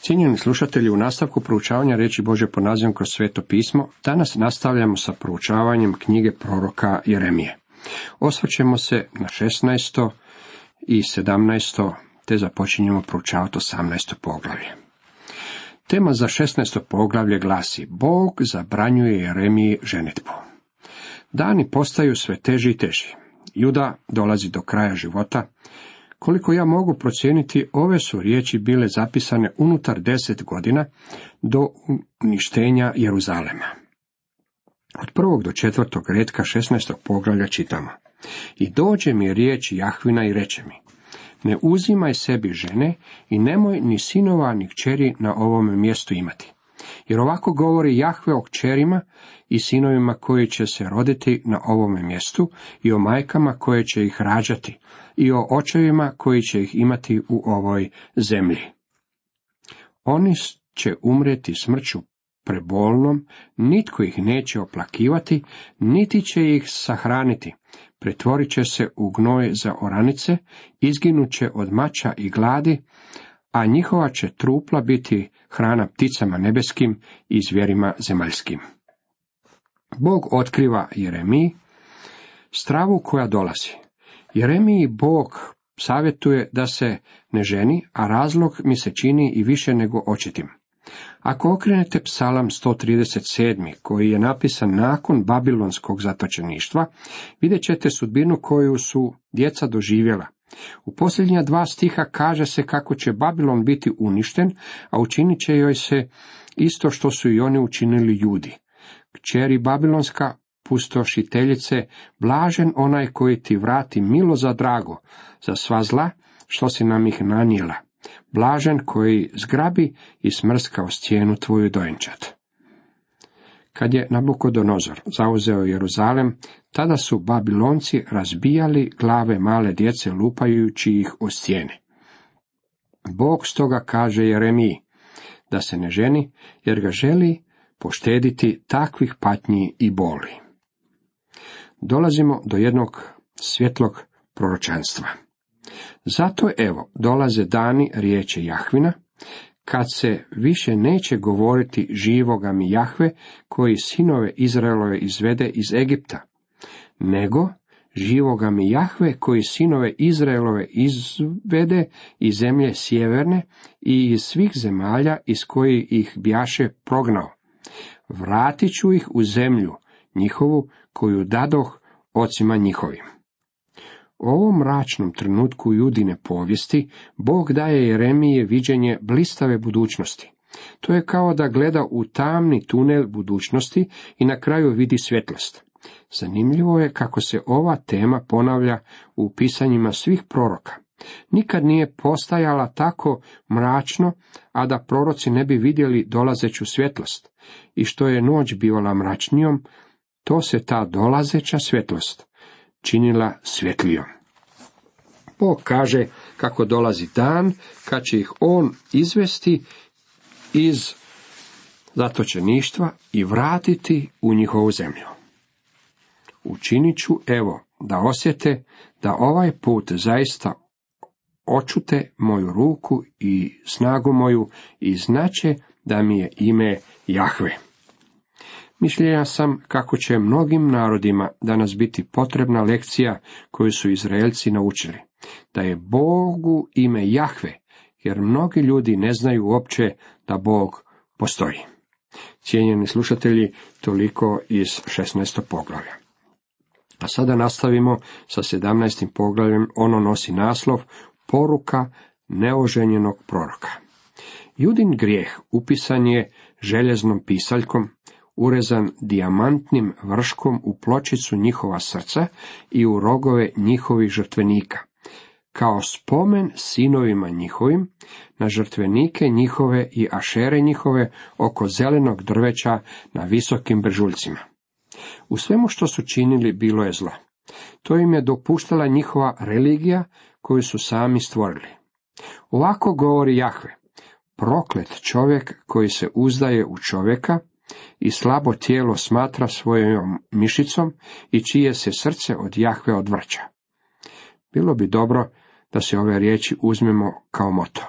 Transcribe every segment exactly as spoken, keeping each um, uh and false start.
Cijenjeni slušatelji, u nastavku proučavanja riječi Božje po nazivom kroz Sveto pismo, danas nastavljamo sa proučavanjem knjige proroka Jeremije. Osvrćemo se na šesnaesto i sedamnaesto te započinjemo proučavati osamnaesto poglavlje. Tema za šesnaesto poglavlje glasi: Bog zabranjuje Jeremiji ženidbu. Dani postaju sve teži i teži. Juda dolazi do kraja života. Koliko ja mogu procijeniti, ove su riječi bile zapisane unutar deset godina do uništenja Jeruzalema. Od prvog do četvrtog retka šesnaestog poglavlja čitamo: I dođe mi riječ Jahvina i reče mi: Ne uzimaj sebi žene i nemoj ni sinova ni kćeri na ovome mjestu imati. Jer ovako govori Jahve o kćerima i sinovima koji će se roditi na ovome mjestu i o majkama koje će ih rađati i o očevima koji će ih imati u ovoj zemlji. Oni će umrijeti smrću prebolnom, nitko ih neće oplakivati, niti će ih sahraniti. Pretvorit će se u gnoj za oranice, izginut će od mača i gladi, a njihova će trupla biti hrana pticama nebeskim i zvjerima zemaljskim. Bog otkriva Jeremiji stravu koja dolazi. Jeremiji Bog savjetuje da se ne ženi, a razlog mi se čini i više nego očitim. Ako okrenete Psalam sto trideset sedam, koji je napisan nakon babilonskog zatočeništva, vidjet ćete sudbinu koju su djeca doživjela. U posljednja dva stiha kaže se kako će Babilon biti uništen, a učinit će joj se isto što su i oni učinili Judi. Kćeri babilonska, pustošiteljice, blažen onaj koji ti vrati milo za drago, za sva zla što si nam ih nanijela. Blažen koji zgrabi i smrska o stijenu tvoju dojenčad. Kad je Nabukodonozor zauzeo Jeruzalem, tada su Babilonci razbijali glave male djece lupajući ih o stijene. Bog stoga kaže Jeremiji da se ne ženi, jer ga želi poštediti takvih patnji i boli. Dolazimo do jednog svjetlog proročanstva. Zato evo dolaze dani, riječi Jahvina, kad se više neće govoriti živoga mi Jahve, koji sinove Izraelove izvede iz Egipta, nego živoga mi Jahve, koji sinove Izraelove izvede iz zemlje sjeverne i iz svih zemalja iz kojih ih bjaše prognao. Vratit ću ih u zemlju njihovu koju dadoh ocima njihovim. U ovom mračnom trenutku Judine povijesti Bog daje Jeremiji viđenje blistave budućnosti. To je kao da gleda u tamni tunel budućnosti i na kraju vidi svjetlost. Zanimljivo je kako se ova tema ponavlja u pisanjima svih proroka. Nikad nije postajala tako mračno, a da proroci ne bi vidjeli dolazeću svjetlost. I što je noć bivala mračnijom, to se ta dolazeća svjetlost činila svjetlijom. Bog kaže kako dolazi dan kad će ih on izvesti iz zatočeništva i vratiti u njihovu zemlju. Učinit ću evo da osjete da ovaj put zaista očute moju ruku i snagu moju i znače da mi je ime Jahve. Mišljenja sam kako će mnogim narodima danas biti potrebna lekcija koju su Izraelci naučili, da je Bogu ime Jahve, jer mnogi ljudi ne znaju uopće da Bog postoji. Cijenjeni slušatelji, toliko iz šesnaestog poglavlja. A sada nastavimo sa sedamnaestim poglavljem, ono nosi naslov Poruka neoženjenog proroka. Judin grijeh upisan je željeznom pisaljkom, urezan dijamantnim vrškom u pločicu njihova srca i u rogove njihovih žrtvenika, kao spomen sinovima njihovim, na žrtvenike njihove i ašere njihove oko zelenog drveća na visokim brežuljcima. U svemu što su činili bilo je zlo. To im je dopuštala njihova religija koju su sami stvorili. Ovako govori Jahve: proklet čovjek koji se uzdaje u čovjeka i slabo tijelo smatra svojom mišicom i čije se srce od Jahve odvraća. Bilo bi dobro da se ove riječi uzmemo kao moto.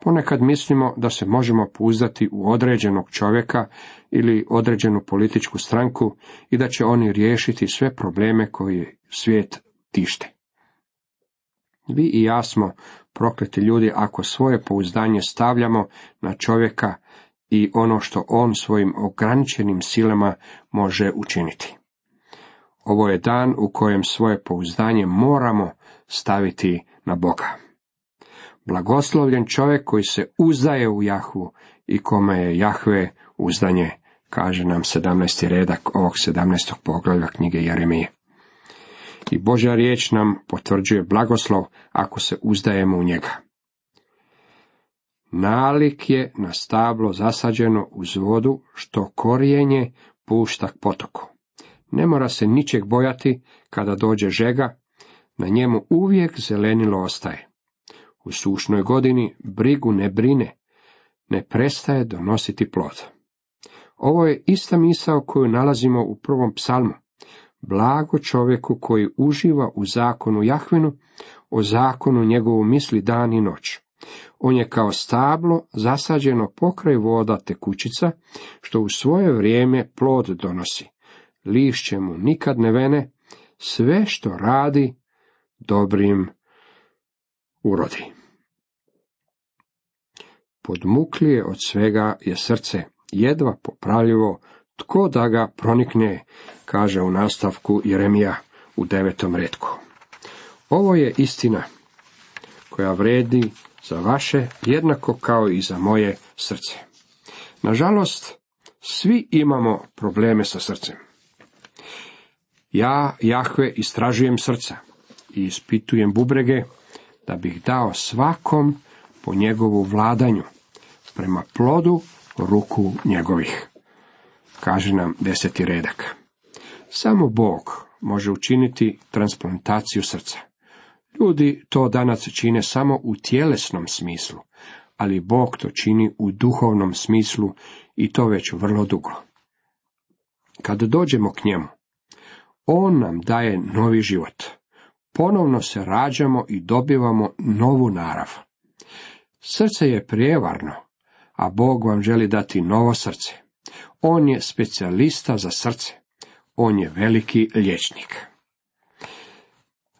Ponekad mislimo da se možemo pouzdati u određenog čovjeka ili određenu političku stranku i da će oni riješiti sve probleme koje svijet tište. Vi i ja smo prokleti ljudi ako svoje pouzdanje stavljamo na čovjeka i ono što on svojim ograničenim silama može učiniti. Ovo je dan u kojem svoje pouzdanje moramo staviti na Boga. Blagoslovljen čovjek koji se uzdaje u Jahvu i kome je Jahve uzdanje, kaže nam sedamnaesti redak ovog sedamnaestog poglavlja knjige Jeremije. I Božja riječ nam potvrđuje blagoslov ako se uzdajemo u njega. Nalik je na stablo zasađeno uz vodu, što korijenje pušta k potoku. Ne mora se ničeg bojati kada dođe žega, na njemu uvijek zelenilo ostaje. U sušnoj godini brigu ne brine, ne prestaje donositi plod. Ovo je ista misao koju nalazimo u prvom psalmu. Blago čovjeku koji uživa u zakonu Jahvinu, o zakonu njegovu misli dan i noć. On je kao stablo zasađeno pokraj voda tekućica, što u svoje vrijeme plod donosi. Lišće mu nikad ne vene, sve što radi dobrim urodi. Podmuklije od svega je srce, jedva popravljivo, tko da ga pronikne, kaže u nastavku Jeremija u devetom retku. Ovo je istina koja vredi za vaše jednako kao i za moje srce. Nažalost, svi imamo probleme sa srcem. Ja, Jahve, istražujem srca i ispitujem bubrege, da bih dao svakom po njegovu vladanju, prema plodu ruku njegovih, kaže nam deseti redak. Samo Bog može učiniti transplantaciju srca. Ljudi to danas čine samo u tjelesnom smislu, ali Bog to čini u duhovnom smislu i to već vrlo dugo. Kad dođemo k njemu, on nam daje novi život. Ponovno se rađamo i dobivamo novu narav. Srce je prijevarno, a Bog vam želi dati novo srce. On je specijalista za srce. On je veliki liječnik.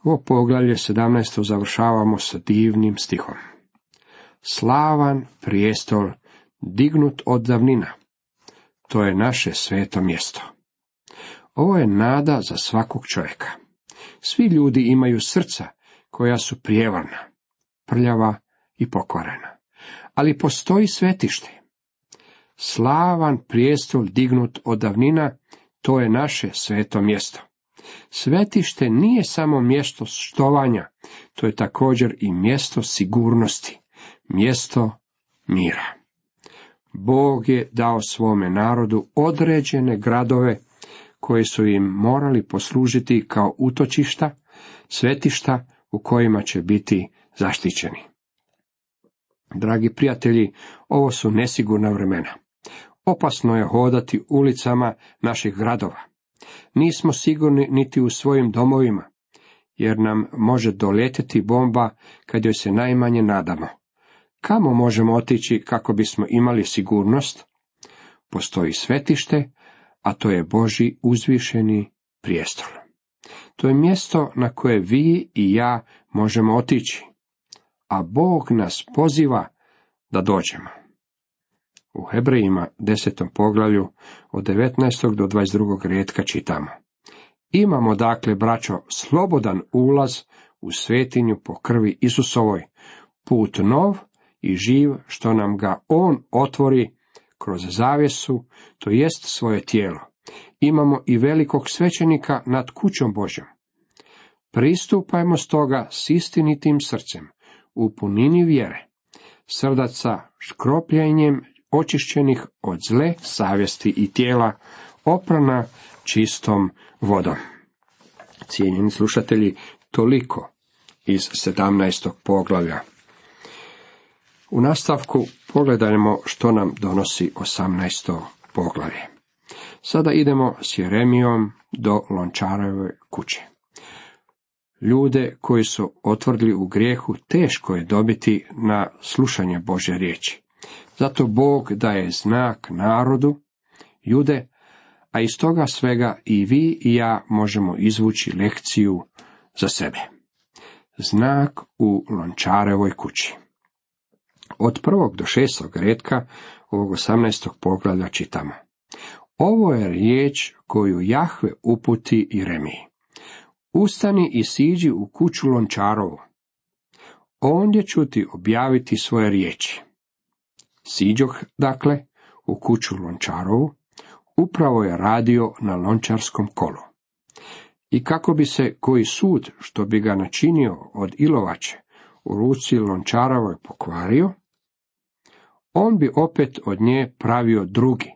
Ovo poglavlje sedamnaesto završavamo sa divnim stihom. Slavan prijestol dignut od davnina. To je naše sveto mjesto. Ovo je nada za svakog čovjeka. Svi ljudi imaju srca koja su prijevarna, prljava i pokvarena. Ali postoji svetište. Slavan prijestol dignut od davnina, to je naše sveto mjesto. Svetište nije samo mjesto štovanja, to je također i mjesto sigurnosti, mjesto mira. Bog je dao svome narodu određene gradove koji su im morali poslužiti kao utočišta, svetišta u kojima će biti zaštićeni. Dragi prijatelji, ovo su nesigurna vremena. Opasno je hodati ulicama naših gradova. Nismo sigurni niti u svojim domovima, jer nam može doletjeti bomba kad joj se najmanje nadamo. Kamo možemo otići kako bismo imali sigurnost? Postoji svetište, a to je Božji uzvišeni prijestol. To je mjesto na koje vi i ja možemo otići, a Bog nas poziva da dođemo. U Hebrejima desetom poglavlju od devetnaestog do dvadeset drugog retka čitamo. Imamo dakle, braćo, slobodan ulaz u svetinju po krvi Isusovoj, put nov i živ što nam ga on otvori kroz zavjesu, to jest svoje tijelo. Imamo i velikog svećenika nad kućom Božjom. Pristupajmo stoga s istinitim srcem, u punini vjere, srdaca škropljenjem očišćenih od zle savjesti i tijela, oprana čistom vodom. Cijenjeni slušatelji, toliko iz sedamnaestog poglavlja. U nastavku pogledajmo što nam donosi osamnaesto poglavlje. Sada idemo s Jeremijom do Lončarove kuće. Ljude koji su otvrdli u grijehu teško je dobiti na slušanje Božje riječi. Zato Bog daje znak narodu, Jude, a iz toga svega i vi i ja možemo izvući lekciju za sebe. Znak u Lončarevoj kući. Od prvog do šestog retka ovog osamnaestog poglavlja čitamo: Ovo je riječ koju Jahve uputi Jeremiji. Ustani i siđi u kuću Lončarovu. Ondje ću ti objaviti svoje riječi. Siđoh, dakle, u kuću Lončarovu, upravo je radio na lončarskom kolu. I kako bi se koji sud, što bi ga načinio od ilovače, u ruci Lončarovoj pokvario, on bi opet od nje pravio drugi,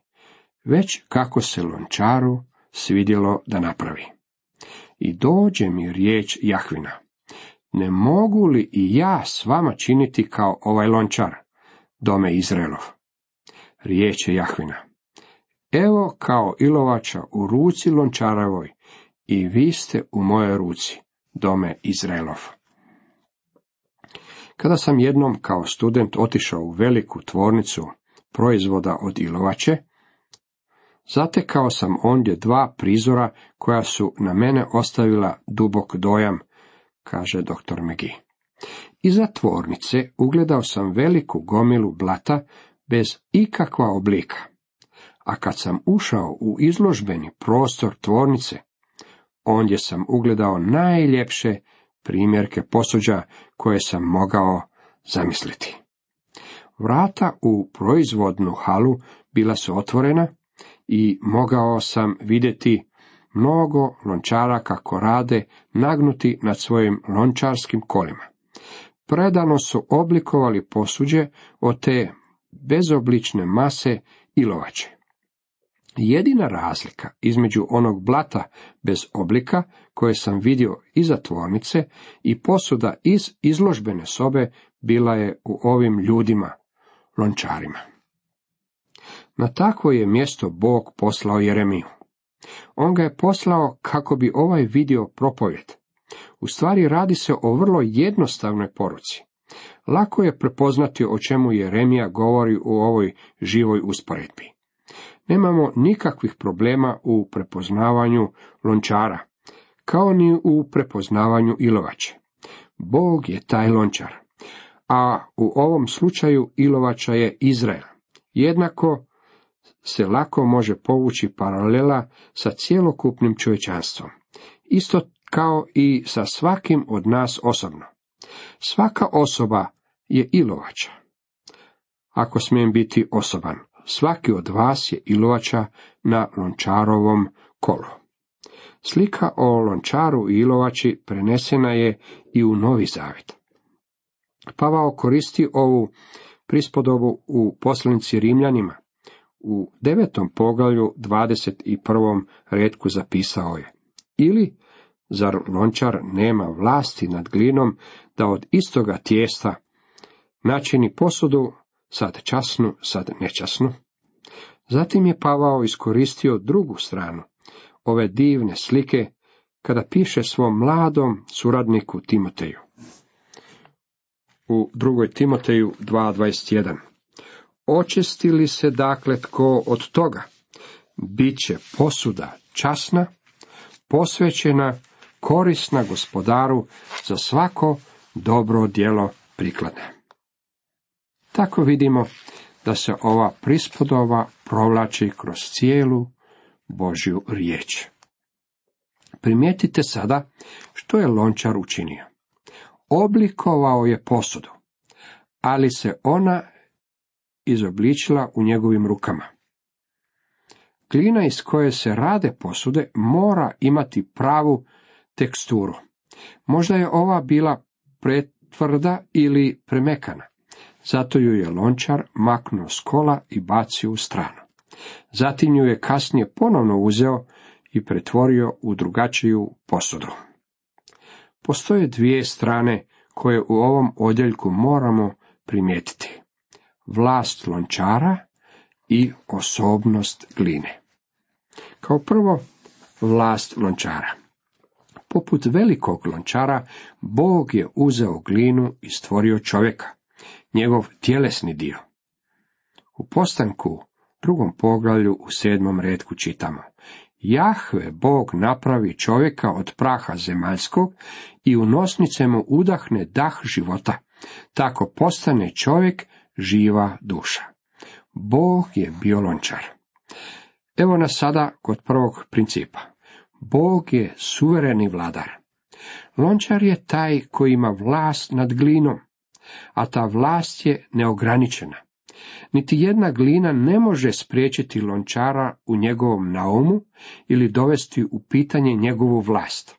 već kako se Lončaru svidjelo da napravi. I dođe mi riječ Jahvina: ne mogu li i ja s vama činiti kao ovaj Lončar, dome Izraelov? Riječ je Jahvina: evo kao ilovača u ruci Lončarovoj, i vi ste u mojoj ruci, dome Izraelov. Kada sam jednom kao student otišao u veliku tvornicu proizvoda od ilovače, zatekao sam ondje dva prizora koja su na mene ostavila dubok dojam, kaže doktor McGee. Iza tvornice ugledao sam veliku gomilu blata bez ikakva oblika, a kad sam ušao u izložbeni prostor tvornice, ondje sam ugledao najljepše primjerke posuđa koje sam mogao zamisliti. Vrata u proizvodnu halu bila su otvorena i mogao sam vidjeti mnogo lončara kako rade nagnuti nad svojim lončarskim kolima. Predano su oblikovali posuđe od te bezoblične mase ilovače. Jedina razlika između onog blata bez oblika koje sam vidio iza tvornice i posuda iz izložbene sobe bila je u ovim ljudima, lončarima. Na takvo je mjesto Bog poslao Jeremiju. On ga je poslao kako bi ovaj vidio propovjed. U stvari radi se o vrlo jednostavnoj poruci. Lako je prepoznati o čemu Jeremija govori u ovoj živoj usporedbi. Nemamo nikakvih problema u prepoznavanju lončara, kao ni u prepoznavanju ilovače. Bog je taj lončar, a u ovom slučaju ilovača je Izrael. Jednako se lako može povući paralela sa cjelokupnim čovječanstvom, isto kao i sa svakim od nas osobno. Svaka osoba je ilovača. Ako smijem biti osoban, svaki od vas je ilovača na lončarovom kolu. Slika o lončaru i ilovači prenesena je i u Novi Zavjet. Pavao koristi ovu prispodobu u poslanici Rimljanima. U devetom poglavlju dvadeset prvom retku zapisao je: ili zar lončar nema vlasti nad glinom da od istoga tijesta načini posudu, sad časnu, sad nečasnu? Zatim je Pavao iskoristio drugu stranu ove divne slike kada piše svom mladom suradniku Timoteju. U drugoj Timoteju dva dvadeset jedan. Očisti li se dakle tko od toga, bit će posuda časna, posvećena, korisna Gospodaru, za svako dobro djelo prikladna. Tako vidimo da se ova prispodoba provlači kroz cijelu Božju riječ. Primijetite sada što je lončar učinio. Oblikovao je posudu, ali se ona izobličila u njegovim rukama. Glina iz koje se rade posude mora imati pravu teksturu. Možda je ova bila pretvrda ili premekana, zato ju je lončar maknuo s kola i bacio u stranu. Zatim ju je kasnije ponovno uzeo i pretvorio u drugačiju posudu. Postoje dvije strane koje u ovom odjeljku moramo primijetiti: vlast lončara i osobnost gline. Kao prvo, vlast lončara. Poput velikog lončara, Bog je uzeo glinu i stvorio čovjeka, njegov tjelesni dio. U Postanku, drugom poglavlju, u sedmom retku čitamo: Jahve Bog napravi čovjeka od praha zemaljskog i u nosnice mu udahne dah života, tako postane čovjek živa duša. Bog je bio lončar. Evo nas sada kod prvog principa. Bog je suvereni vladar. Lončar je taj koji ima vlast nad glinom, a ta vlast je neograničena. Niti jedna glina ne može spriječiti lončara u njegovom naumu ili dovesti u pitanje njegovu vlast.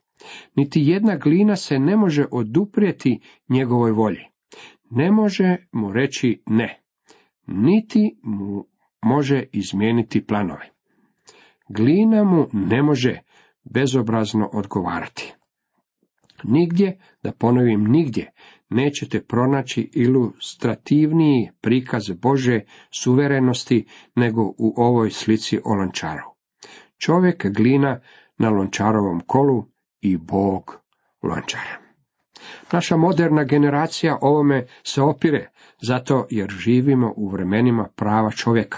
Niti jedna glina se ne može oduprijeti njegovoj volji. Ne može mu reći ne, niti mu može izmijeniti planove. Glina mu ne može bezobrazno odgovarati. Nigdje, da ponovim nigdje, nećete pronaći ilustrativniji prikaz Božje suverenosti nego u ovoj slici o lončaru. Čovjek glina na lončarovom kolu i Bog lončar. Naša moderna generacija ovome se opire, zato jer živimo u vremenima prava čovjeka.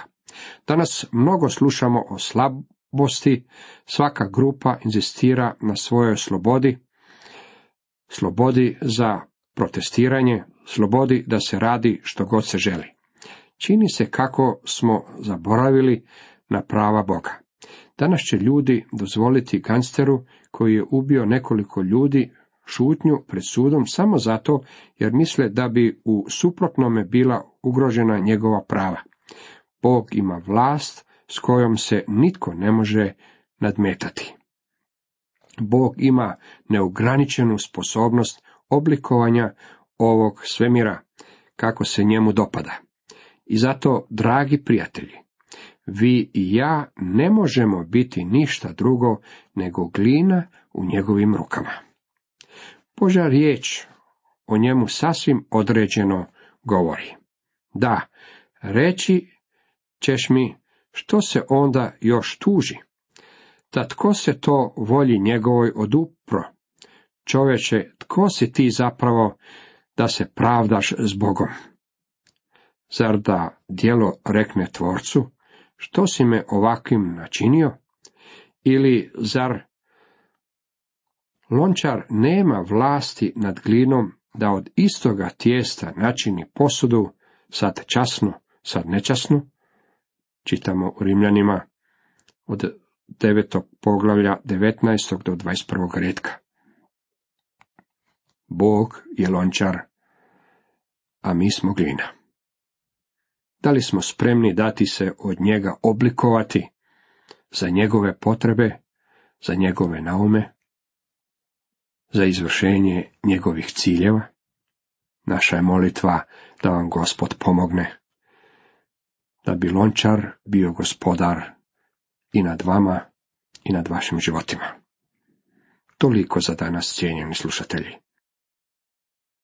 Danas mnogo slušamo o slabosti, svaka grupa inzistira na svojoj slobodi, slobodi za protestiranje, slobodi da se radi što god se želi. Čini se kako smo zaboravili na prava Boga. Danas će ljudi dozvoliti gangsteru koji je ubio nekoliko ljudi šutnju pred sudom samo zato jer misle da bi u suprotnome bila ugrožena njegova prava. Bog ima vlast s kojom se nitko ne može nadmetati. Bog ima neograničenu sposobnost oblikovanja ovog svemira kako se njemu dopada. I zato, dragi prijatelji, vi i ja ne možemo biti ništa drugo nego glina u njegovim rukama. Božja riječ o njemu sasvim određeno govori. Da, reći ćeš mi, što se onda još tuži? Da tko se to volji njegovoj odupro? Čovječe, tko si ti zapravo da se pravdaš s Bogom? Zar da djelo rekne tvorcu, što si me ovakvim načinio? Ili zar lončar nema vlasti nad glinom da od istoga tijesta načini posudu, sad časnu, sad nečasnu? Čitamo u Rimljanima od devetog poglavlja devetnaestog do dvadeset prvog retka. Bog je lončar, a mi smo glina. Da li smo spremni dati se od njega oblikovati za njegove potrebe, za njegove naume, za izvršenje njegovih ciljeva? Naša je molitva da vam Gospod pomogne, da bi lončar bio gospodar i nad vama i nad vašim životima. Toliko za danas, cijenjeni slušatelji.